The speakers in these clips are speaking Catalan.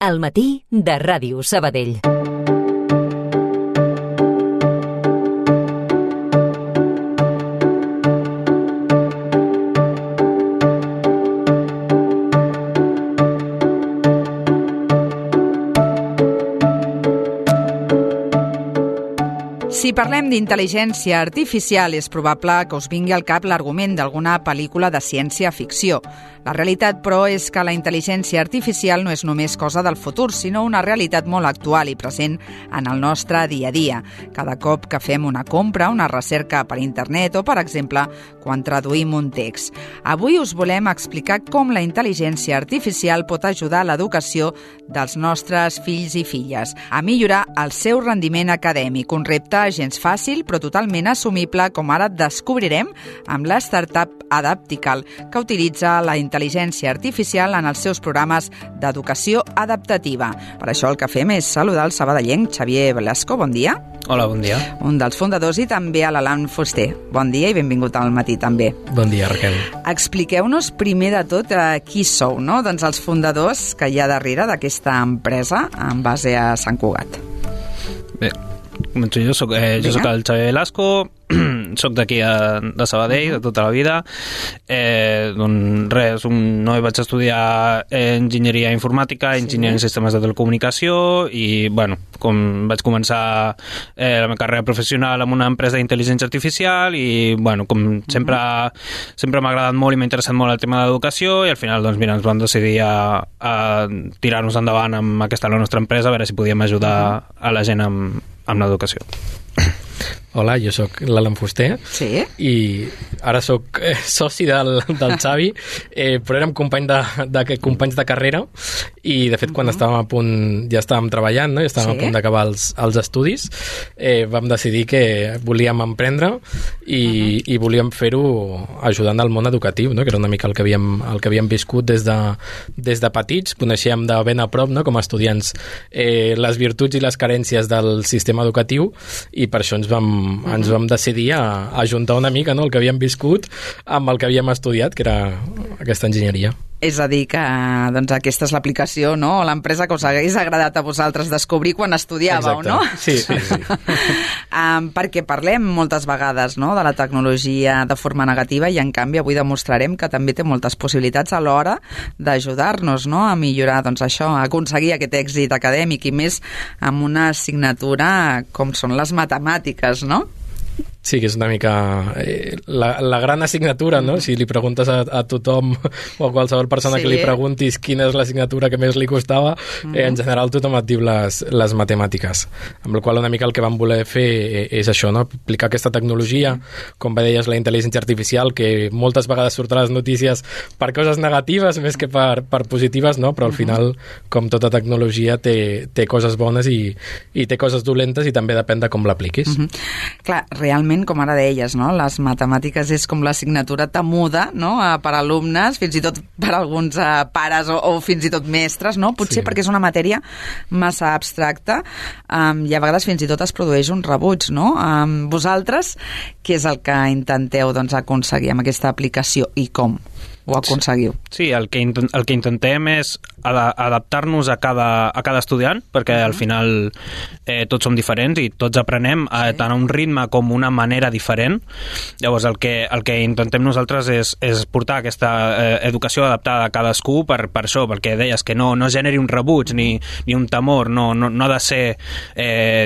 Al matí de Ràdio Sabadell. Si parlem d'intel·ligència artificial, és probable que us vingui al cap l'argument d'alguna pel·lícula de ciència-ficció. La realitat, però, és que la intel·ligència artificial no és només cosa del futur, sinó una realitat molt actual i present en el nostre dia a dia. Cada cop que fem una compra, una recerca per internet o, per exemple, quan traduïm un text. Avui us volem explicar com la intel·ligència artificial pot ajudar a l'educació dels nostres fills i filles a millorar el seu rendiment acadèmic, un repte gens fàcil, però totalment assumible, com ara descobrirem amb la startup Adaptical, que utilitza la intel·ligència artificial en els seus programes d'educació adaptativa. Per això el que fem és saludar el sabadellenc Xavier Velasco. Bon dia. Hola, bon dia. Un dels fundadors, i també a l'Alan Fuster. Bon dia i benvingut al matí també. Bon dia, Raquel. Expliqueu-nos primer de tot qui sou, no? Doncs els fundadors que hi ha darrere d'aquesta empresa en base a Sant Cugat. Bé, començo jo. Soc el Xavier Velasco, soc d'aquí de Sabadell, de tota la vida. Doncs res, no vaig estudiar enginyeria informàtica, enginyeria en sistemes de telecomunicació i, bueno, com vaig començar la meva carrera professional amb una empresa d'intel·ligència artificial i, bueno, com sempre m'ha agradat molt i m'ha interessat molt el tema de l'educació i al final, doncs, mira, ens vam decidir a tirar-nos endavant amb aquesta la nostra empresa, a veure si podíem ajudar a la gent amb l'educació. Hola, jo sóc l'Alan Fuster. Sí? I ara sóc soci del Xavi, però érem companys de carrera i, de fet, quan estàvem a punt, ja estàvem treballant, no? Ja estàvem a punt d'acabar els estudis, vam decidir que volíem emprendre i volíem fer-ho ajudant al món educatiu, no? Que era una mica el que havíem viscut des de petits. Coneixíem de ben a prop, no? Com a estudiants, les virtuts i les carències del sistema educatiu i per això ens vam decidir a ajuntar una mica, no? El que havíem viscut amb el que havíem estudiat, que era aquesta enginyeria. És a dir, que doncs, aquesta és l'aplicació, no? O l'empresa que us hagués agradat a vosaltres descobrir quan estudiàveu, exacte, no? Sí. Perquè parlem moltes vegades, no?, de la tecnologia de forma negativa i, en canvi, avui demostrarem que també té moltes possibilitats a l'hora d'ajudar-nos, no?, a millorar, doncs, això, a aconseguir aquest èxit acadèmic i més amb una assignatura com són les matemàtiques, no? Sí, que és una mica la gran assignatura, no? Si li preguntes a tothom o a qualsevol persona que li preguntis quina és l'assignatura que més li costava, en general tothom et diu les matemàtiques. Amb la qual una mica el que vam voler fer és això, no? Aplicar aquesta tecnologia, com bé deies, la intel·ligència artificial, que moltes vegades surt a les notícies per coses negatives més que per positives, no? Però al final, com tota tecnologia, té coses bones i té coses dolentes i també depèn de com l'apliquis. Clar, realment, com ara deies, no? Les matemàtiques és com l'assignatura temuda, no?, per alumnes, fins i tot per alguns pares o fins i tot mestres, no? Potser perquè és una matèria massa abstracta i a vegades fins i tot es produeix un rebuig, no? Vosaltres, què és el que intenteu, doncs, aconseguir amb aquesta aplicació i com ho aconseguiu? Sí, el que intentem és adaptar-nos a cada estudiant, perquè al final tots som diferents i tots aprenem tant a un ritme com una manera diferent. Llavors el que intentem nosaltres és portar aquesta educació adaptada a cadascú per això, perquè deies que no generi un rebuig ni un temor, no ha de ser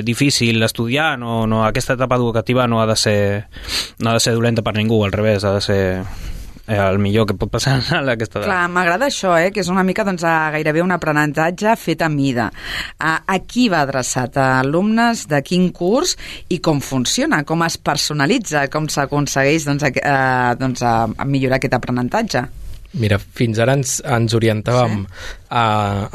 difícil estudiar, no, aquesta etapa educativa no ha de ser dolenta per ningú, al revés, ha de ser el millor que pot passar a aquesta edat. Clar, m'agrada això, que és una mica gairebé un aprenentatge fet a mida. A qui va adreçat? A alumnes de quin curs i com funciona? Com es personalitza? Com s'aconsegueix a millorar aquest aprenentatge? Mira, fins ara ens orientàvem a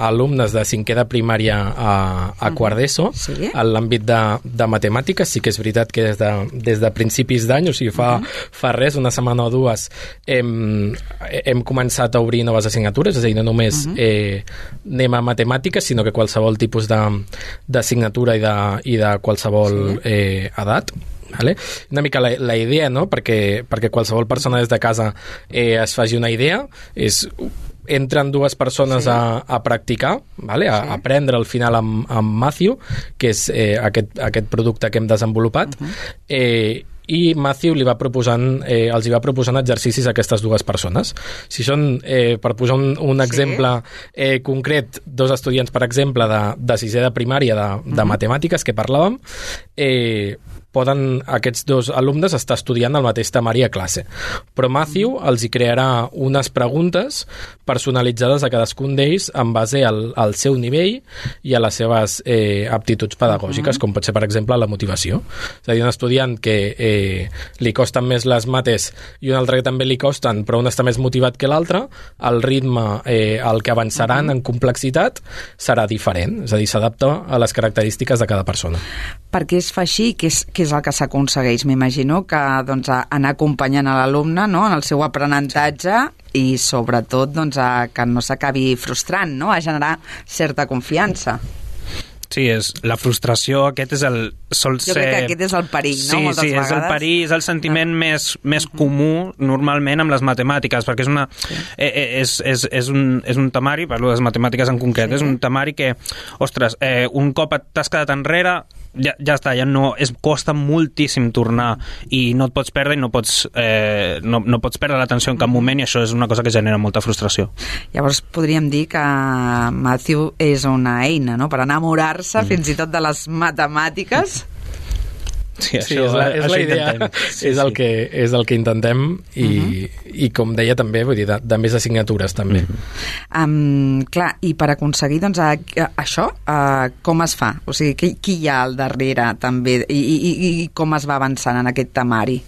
alumnes de cinquè de primària a quart d'ESO, en l'àmbit de matemàtiques. Sí que és veritat que des de principis d'any, o sigui, fa res, una setmana o dues, hem començat a obrir noves assignatures, és a dir, no només anem a matemàtiques, sinó que qualsevol tipus d'assignatura i de qualsevol edat. Vale? Una mica la idea, no? Perquè qualsevol persona des de casa es faci una idea, és entren dues persones a practicar, vale? A aprendre al final amb Matthew, que és aquest producte que hem desenvolupat, i Matthew els va proposant exercicis a aquestes dues persones. Si són, per posar un exemple concret, dos estudiants, per exemple, de sisè de primària de matemàtiques que parlàvem, poden aquests dos alumnes estar estudiant el mateix temari a classe. Però Matthew els hi crearà unes preguntes personalitzades a cadascun d'ells en base al seu nivell i a les seves aptituds pedagògiques, com pot ser, per exemple, la motivació. És a dir, un estudiant que li costen més les mates i un altre que també li costen, però un està més motivat que l'altre, el ritme al que avançaran en complexitat serà diferent. És a dir, s'adapta a les característiques de cada persona. Per què es fa així? Què és el que s'aconsegueix? M'imagino que doncs, anar acompanyant a l'alumne, no?, en el seu aprenentatge i sobretot doncs, que no s'acabi frustrant, no?, a generar certa confiança. Sí, la frustració, aquest és sol ser... Jo crec que aquest és el perill, no? Moltes vegades. És el perill, és el sentiment més comú normalment amb les matemàtiques, perquè és un temari, parlo de les matemàtiques en concret, és un temari que, ostres, un cop t'has quedat enrere, ja està, ja no, costa moltíssim tornar i no et pots perdre i no pots perdre l'atenció en cap moment, i això és una cosa que genera molta frustració. Llavors podríem dir que Matthew és una eina, no?, per enamorar-se fins i tot de les matemàtiques. Sí, això, és la idea, és el que intentem i com deia també, vull dir, de més assignatures també. Clar, i per aconseguir doncs, això, com es fa? O sigui, qui hi ha al darrere també i com es va avançant en aquest temari?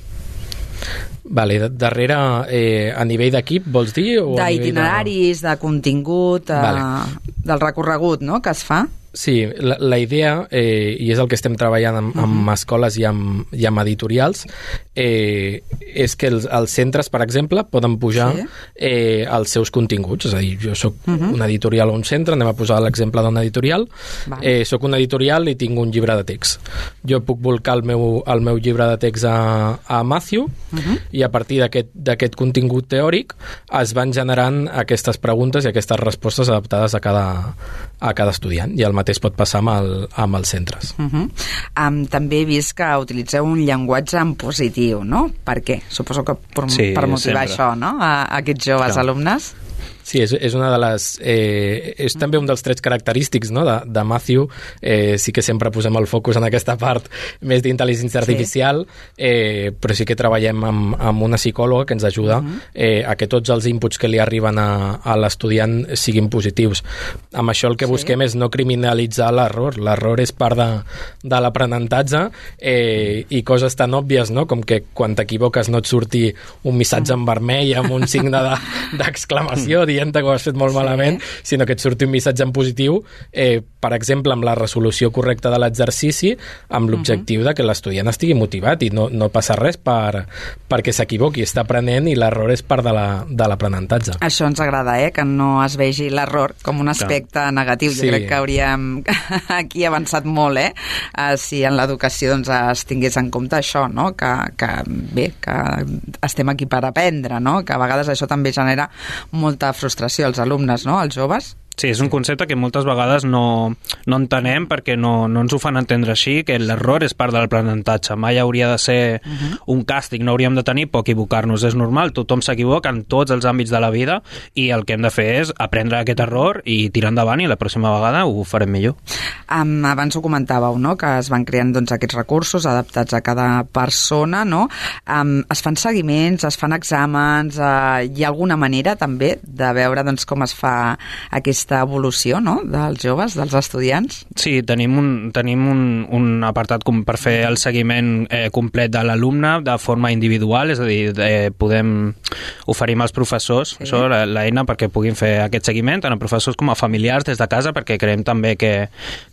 Vale, darrere a nivell d'equip, vols dir? D'itineraris, de contingut, del recorregut, no?, que es fa? Sí, la idea, i és el que estem treballant amb escoles i amb editorials, és que els centres, per exemple, poden pujar els seus continguts. És a dir, jo soc un editorial o un centre, anem a posar l'exemple d'un editorial, soc un editorial i tinc un llibre de text. Jo puc volcar el meu llibre de text a Matthew i a partir d'aquest contingut teòric es van generant aquestes preguntes i aquestes respostes adaptades a cada estudiant, i el mateix pot passar amb els centres. També he vist que utilitzeu un llenguatge en positiu, no? Per què? Suposo que per motivar sempre això, no?, a aquests joves alumnes. Sí, és una de les... és també un dels trets característics, no?, de Matthew. Sí que sempre posem el focus en aquesta part més d'intel·ligència artificial, però sí que treballem amb una psicòloga que ens ajuda a que tots els inputs que li arriben a l'estudiant siguin positius. Amb això el que busquem és no criminalitzar l'error. L'error és part de l'aprenentatge, i coses tan òbvies, no?, com que quan t'equivoques no et surti un missatge en vermell amb un signe d'exclamació dient que ho has fet molt malament, sinó que et surti un missatge en positiu, per exemple, amb la resolució correcta de l'exercici, amb l'objectiu de que l'estudiant estigui motivat i no passa res perquè s'equivoqui, està aprenent i l'error és part de l'aprenentatge. Això ens agrada, que no es vegi l'error com un aspecte negatiu. Jo crec que hauríem aquí avançat molt, si en l'educació doncs, es tingués en compte això, no?, que estem aquí per aprendre, no?, que a vegades això també genera molta frustració als alumnes, no?, als joves. Sí, és un concepte que moltes vegades no entenem perquè no ens ho fan entendre així, que l'error és part de l'aprenentatge. Mai hauria de ser un càstig, no hauríem de tenir por equivocar-nos. És normal, tothom s'equivoca en tots els àmbits de la vida i el que hem de fer és aprendre aquest error i tirar endavant, i la pròxima vegada ho farem millor. Abans ho comentàveu, no?, que es van creant doncs, aquests recursos adaptats a cada persona, no? Es fan seguiments, es fan exàmens, hi ha alguna manera també de veure doncs, com es fa aquesta evolució, no?, dels joves, dels estudiants? Sí, tenim un apartat per fer el seguiment complet de l'alumne de forma individual, és a dir, podem oferir als professors això, l'eina perquè puguin fer aquest seguiment, tant a professors com a familiars des de casa, perquè creiem també que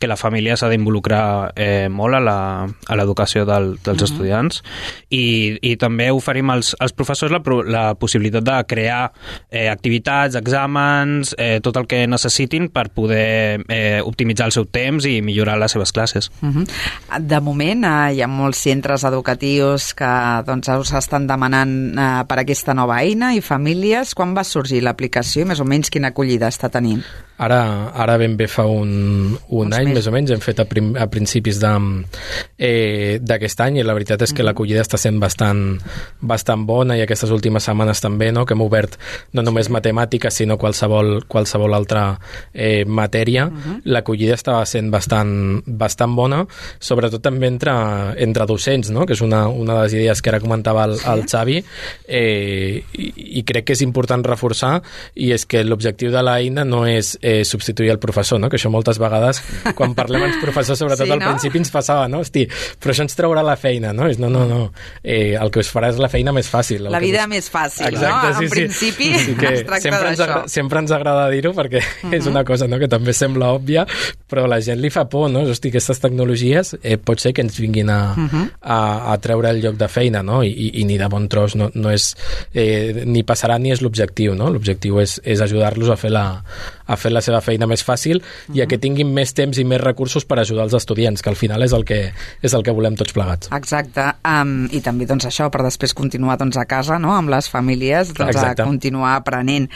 la família s'ha d'involucrar molt a l'educació dels estudiants, i també oferim als professors la possibilitat de crear activitats, exàmens, tot el que necessitem necessitin per poder optimitzar el seu temps i millorar les seves classes. De moment hi ha molts centres educatius que doncs, us estan demanant per aquesta nova eina i famílies. Quan va sorgir l'aplicació i més o menys quina acollida està tenint? Ara ben bé fa un any, més o menys, hem fet a principis d'aquest any i la veritat és que l'acollida està sent bastant bona i aquestes últimes setmanes també, no? Que hem obert no només matemàtiques sinó qualsevol altra matèria. L'acollida estava sent bastant bona, sobretot també entre docents, no? Que és una de les idees que ara comentava el Xavi, i crec que és important reforçar, i és que l'objectiu de l'eina no és substituir el professor, no? Que això moltes vegades quan parlem amb els professors, sobretot al principi ens passava, no? Hosti, però això ens traurà la feina, no? No. El que us farà és la feina més fàcil. La vida més fàcil, exacte, no? En principi es tracta d'això. Sempre ens agrada dir-ho perquè és una cosa, no?, que també sembla òbvia, però a la gent li fa por, no? Hosti, aquestes tecnologies pot ser que ens vinguin a treure el lloc de feina, no? I ni de bon tros no és ni passarà ni és l'objectiu, no? L'objectiu és ajudar-los a fer la seva feina més fàcil i a que tinguin més temps i més recursos per ajudar els estudiants, que al final és el que volem tots plegats. Exacte, i també doncs això, per després continuar doncs, a casa, no?, amb les famílies, doncs, a continuar aprenent.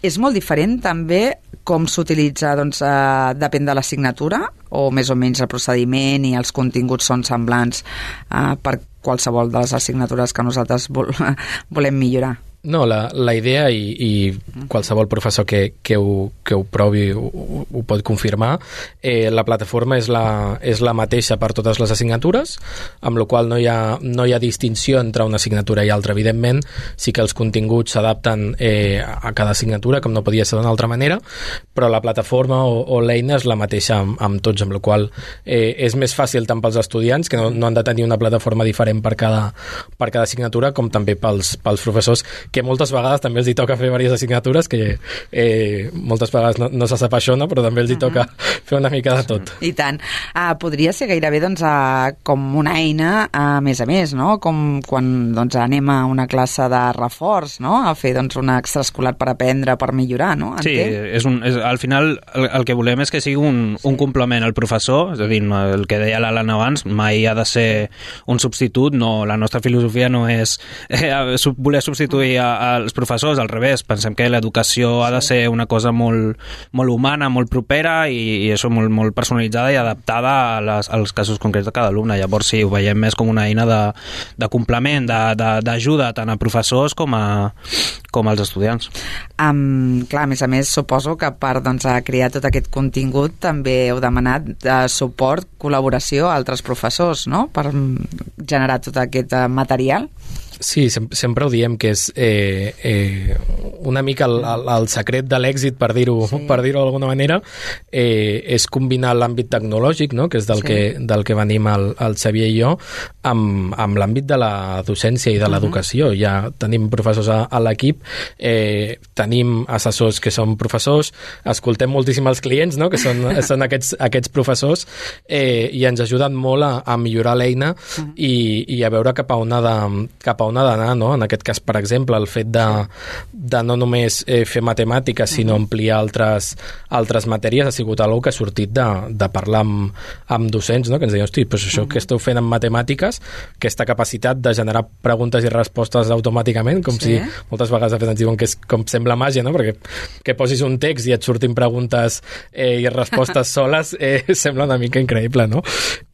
És molt diferent també com s'utilitza, doncs, depèn de l'assignatura, o més o menys el procediment i els continguts són semblants per qualsevol de les assignatures que nosaltres volem millorar? No, la idea, i qualsevol professor que ho provi ho pot confirmar, la plataforma és la mateixa per totes les assignatures, amb la qual no hi ha distinció entre una assignatura i altra. Evidentment, sí que els continguts s'adapten a cada assignatura, com no podia ser d'una altra manera, però la plataforma o l'eina és la mateixa amb tots, amb la qual és més fàcil tant pels estudiants, que no han de tenir una plataforma diferent per cada assignatura, com també pels professors, que moltes vegades també els hi toca fer diverses assignatures, que moltes vegades no se sap això, no? Però també els hi toca fer una mica de tot. I tant. Podria ser gairebé doncs, com una eina a més, no? Com quan doncs, anem a una classe de reforç, no? A fer doncs, una extraescolar per aprendre, per millorar, no? Sí, al final el que volem és que sigui un complement al professor, és a dir, el que deia l'Alan abans, mai ha de ser un substitut, no, la nostra filosofia no és voler substituir als professors, al revés, pensem que l'educació ha de ser una cosa molt humana, molt propera i això molt personalitzada i adaptada als casos concrets de cada alumne. Llavors sí, ho veiem més com una eina de complement, d'ajuda tant a professors com als estudiants. Clar, a més, suposo que per doncs, crear tot aquest contingut també heu demanat suport, col·laboració a altres professors, no?, per generar tot aquest material. Sí, sempre ho diem, que és una mica el secret de l'èxit, per dir-ho d'alguna manera, és combinar l'àmbit tecnològic, no?, que és del que venim el Xavier i jo, amb l'àmbit de la docència i de l'educació. Ja tenim professors a l'equip, tenim assessors que són professors, escoltem moltíssim els clients, no?, que són aquests professors, i ens ajuden molt a millorar l'eina i a veure cap a on ha d'anar, no? En aquest cas, per exemple, el fet de no només fer matemàtiques, sinó ampliar altres matèries ha sigut algo que ha sortit de parlar amb docents, no?, que ens deien, hosti, doncs això que esteu fent amb matemàtiques, aquesta capacitat de generar preguntes i respostes automàticament, com si moltes vegades ens diuen que és com sembla màgia, no?, perquè que posis un text i et surtin preguntes i respostes soles sembla una mica increïble, no?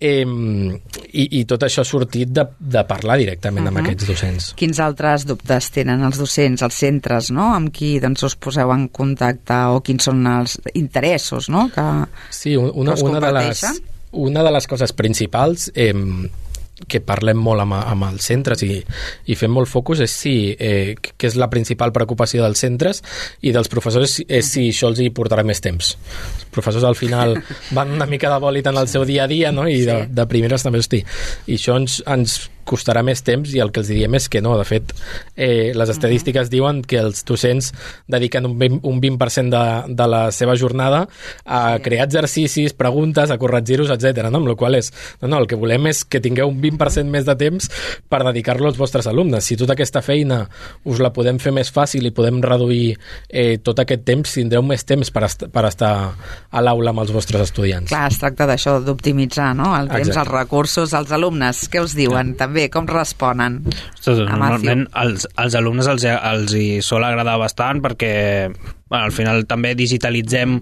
I tot això ha sortit de parlar directament amb aquests docents. Quins altres dubtes tenen els docents, els centres, no?, amb qui doncs, us poseu en contacte, o quins són els interessos, no?, que us comparteixen? Una de les coses principals que parlem molt amb els centres i fem molt focus és que és la principal preocupació dels centres i dels professors, és si això els hi portarà més temps. Els professors al final van una mica de bòlit en el seu dia a dia, no?, i de primeres també, hosti, i això ens costarà més temps, i el que els diem és que no. De fet, les estadístiques diuen que els docents dediquen un 20% de la seva jornada a crear exercicis, preguntes, a corregir-los, etc. No? Amb la qual és, el que volem és que tingueu un 20% més de temps per dedicar-lo als vostres alumnes. Si tota aquesta feina us la podem fer més fàcil i podem reduir tot aquest temps, tindreu més temps per estar a l'aula amb els vostres estudiants. Clar, es tracta d'això, d'optimitzar, no? El temps, els recursos, els alumnes. Què us diuen també? Com responen? Normalment als alumnes els hi sol agradar bastant perquè al final també digitalitzem,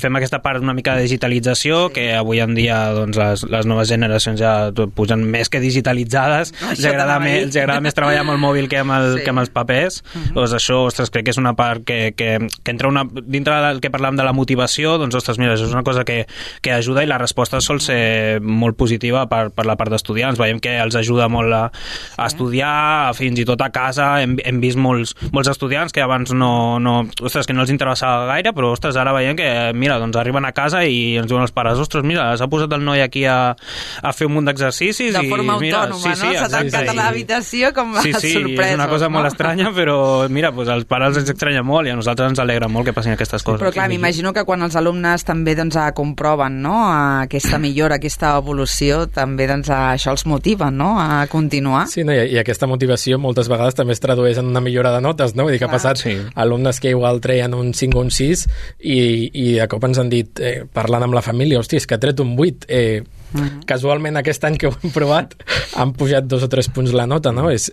fem aquesta part una mica de digitalització, que avui en dia doncs, les noves generacions ja pugen més que digitalitzades, els agrada més treballar amb el mòbil que amb els papers. Doncs això, ostres, crec que és una part que entra dintre del que parlàvem de la motivació, doncs ostres, mira, això és una cosa que ajuda, i la resposta sol ser molt positiva per la part d'estudiants. Veiem que els ajuda molt a estudiar, fins i tot a casa. Hem vist molts estudiants que abans ostres, que no els interessava gaire, però ostres, ara veiem que, mira, doncs arriben a casa i ens diuen els pares, ostres, mira, s'ha posat el noi aquí a fer un munt d'exercicis. De forma autònoma, no? S'ha tancat a l'habitació com a sorpresa. Sí, és una cosa molt estranya, però mira, doncs als pares ens estranya molt i a nosaltres ens alegra molt que passin aquestes coses. Però clar, m'imagino que quan els alumnes també comproven, no?, aquesta millora, aquesta evolució, també això els motiva, no?, a continuar. Sí, no? I aquesta motivació moltes vegades també es tradueix en una millora de notes, no? Vull dir que ha passat alumnes que igual treien un 5 o un 6 i de cop ens han dit, parlant amb la família, hòstia, és que ha tret un 8, casualment aquest any que ho hem provat han pujat 2 o 3 punts la nota, no? És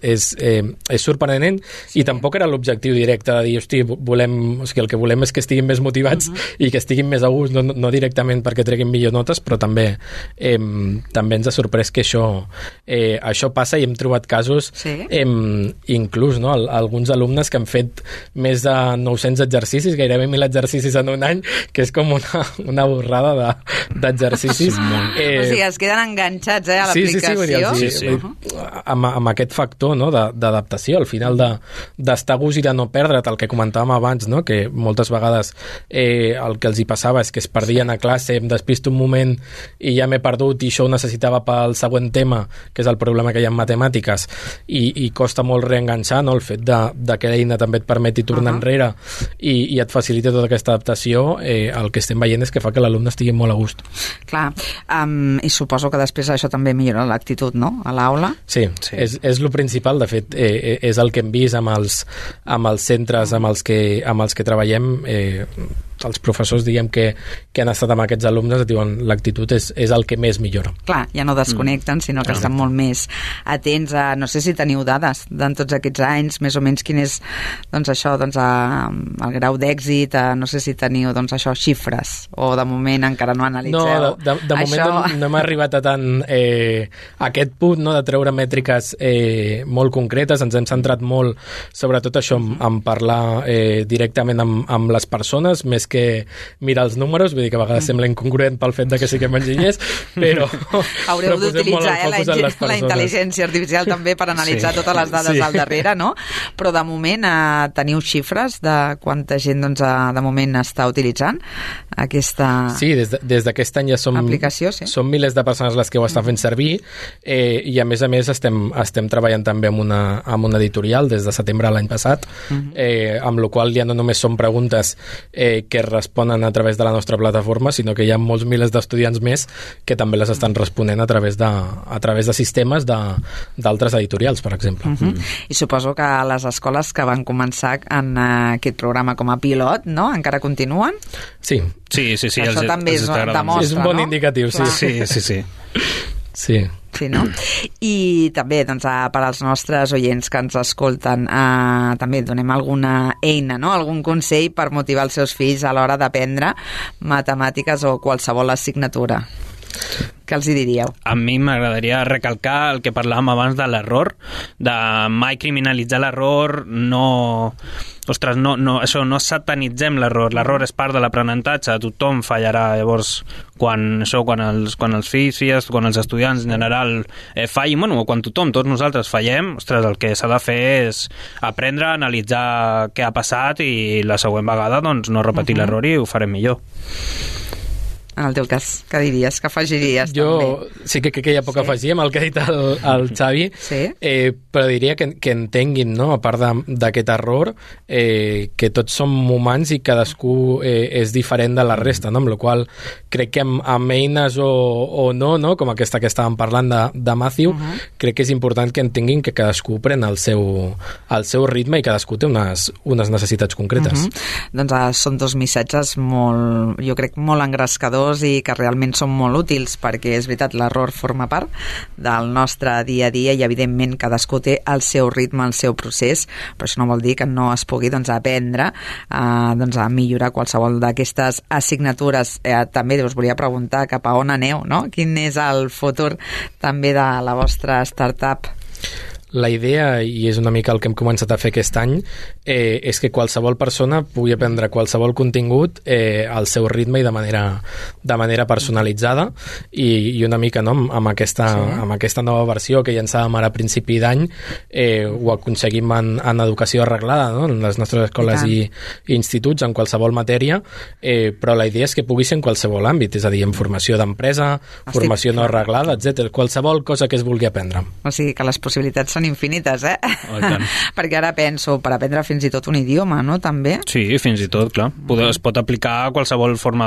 sorprenent, i tampoc era l'objectiu directe de dir, hosti, el que volem és que estiguin més motivats i que estiguin més a gust, no directament perquè treguin millors notes, però també ens ha sorprès que això passa, i hem trobat casos inclús, no? Alguns alumnes que han fet més de 900 exercicis, gairebé 1.000 exercicis en un any, que és com una borrada d'exercicis. O sigui, es queden enganxats a l'aplicació. Sí. Amb aquest factor, no?, d'adaptació, al final d'estar a gust i de no perdre't, el que comentàvem abans, no?, que moltes vegades el que els hi passava és que es perdien a classe, em despisto un moment i ja m'he perdut, i això ho necessitava pel següent tema, que és el problema que hi ha en matemàtiques, i costa molt reenganxar, no?, el fet de que l'eina també et permeti tornar enrere i et facilita tota aquesta adaptació. El que estem veient és que fa que l'alumne estigui molt a gust. Clar, i suposo que després això també millora l'actitud, no?, a l'aula. Sí. És el principal. De fet, és el que hem vist amb els centres amb els que treballem. Els professors, diguem, que han estat amb aquests alumnes, et diuen, l'actitud és el que més millora. Clar, ja no desconnecten, sinó que estan molt més atents a, no sé si teniu dades d'en tots aquests anys, més o menys quin és, doncs això, doncs el grau d'èxit, no sé si teniu, doncs això, xifres, o de moment encara no analitzeu. No, de moment no hem arribat a tant a aquest punt, no?, de treure mètriques molt concretes. Ens hem centrat molt, sobretot això, en parlar directament amb les persones, més que mirar els números. Vull dir que a vegades sembla incongruent pel fet de que siguem enginyers, però haureu d'utilitzar la intel·ligència artificial també per analitzar totes les dades al darrere, no? Però de moment teniu xifres de quanta gent, doncs, de moment està utilitzant aquesta des d'aquest any ja aplicació, són milers de persones les que ho estan fent servir, i a més estem treballant també amb una editorial des de setembre l'any passat, amb la qual ja no només són preguntes que responen a través de la nostra plataforma, sinó que hi ha molts milers d'estudiants més que també les estan responent a través de sistemes d'altres editorials, per exemple. I suposo que les escoles que van començar en aquest programa com a pilot, no?, encara continuen? Sí. Això també demostra, és un bon indicatiu, sí. Sí, no? I també, doncs, per als nostres oients que ens escolten, també donem alguna eina, no?, algun consell per motivar els seus fills a l'hora d'aprendre matemàtiques o qualsevol assignatura. Què els hi diríeu? A mi m'agradaria recalcar el que parlàvem abans de l'error, de mai criminalitzar l'error, no satanitzem l'error. L'error és part de l'aprenentatge, tothom fallarà. Llavors, quan els fills, quan els estudiants en general fallin, o quan tots nosaltres fallem, ostres, el que s'ha de fer és aprendre, analitzar què ha passat i la següent vegada doncs no repetir l'error i ho farem millor. en el teu cas? Què diries? Què afegiries? Jo també? sí que crec que hi ha poc a afegir amb el que ha dit el Xavi, però diria que entenguin, no? A part d'aquest error, que tots som humans i cadascú és diferent de la resta, no? Amb la qual crec que amb eines o no, com aquesta que estàvem parlant de Matthew, crec que és important que entenguin que cadascú pren el seu ritme i cadascú té unes necessitats concretes. Doncs són dos missatges molt, jo crec, molt engrescadors i que realment són molt útils, perquè és veritat, l'error forma part del nostre dia a dia i evidentment cadascú té el seu ritme, el seu procés, però això no vol dir que no es pugui aprendre a millorar qualsevol d'aquestes assignatures. També us volia preguntar cap a on aneu, no? Quin és el futur també de la vostra startup? La idea, i és una mica el que hem començat a fer aquest any, és que qualsevol persona pugui aprendre qualsevol contingut al seu ritme i de manera personalitzada, i una mica, no, amb aquesta nova versió que llançàvem ara a principi d'any, ho aconseguim en educació arreglada, no? En les nostres escoles i instituts, en qualsevol matèria, però la idea és que pugui ser en qualsevol àmbit, és a dir, en formació d'empresa, formació no arreglada, etc. Qualsevol cosa que es vulgui aprendre. O sigui que les possibilitats són infinites, perquè ara penso, per aprendre fins i tot un idioma, no?, també? Sí, fins i tot, clar. Es pot aplicar a qualsevol forma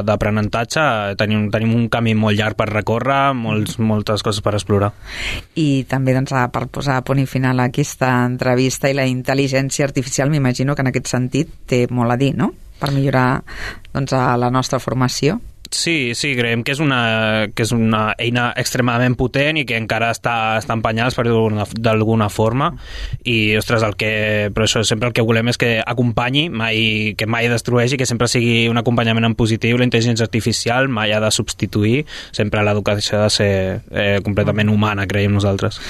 d'aprenentatge. Tenim un camí molt llarg per recórrer, moltes coses per explorar. I també, doncs, per posar a punt i final a aquesta entrevista, i la intel·ligència artificial, m'imagino que en aquest sentit té molt a dir, no?, per millorar, doncs, la nostra formació. Sí, creiem que és una eina extremadament potent i que encara està en penyals, per dir-ho d'alguna forma, i, ostres, però això sempre el que volem és que acompanyi, que mai destrueixi, que sempre sigui un acompanyament en positiu. La intel·ligència artificial mai ha de substituir, sempre l'educació ha de ser completament humana, creiem nosaltres.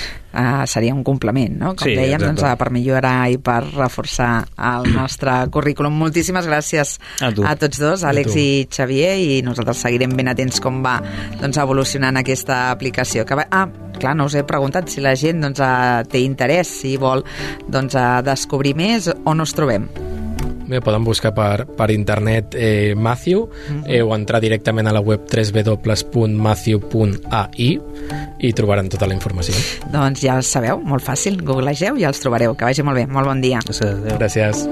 Seria un complement, no? Com dèiem, doncs, per millorar i per reforçar el nostre currículum. Moltíssimes gràcies a tots dos, Àlex i Xavier, i nosaltres seguirem ben atents com va, doncs, evolucionant aquesta aplicació. Clar, no us he preguntat si la gent, doncs, té interès, si vol, doncs, descobrir més, on us trobem. Bé, poden buscar per internet Matthew, o entrar directament a la web www.matthew.ai i trobaran tota la informació. Doncs ja sabeu, molt fàcil, googlegeu i els trobareu. Que vagi molt bé, molt bon dia. Gràcies.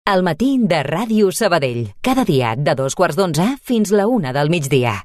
Al matí de Ràdio Sabadell. Cada dia de 2:15 fins la 1 del migdia.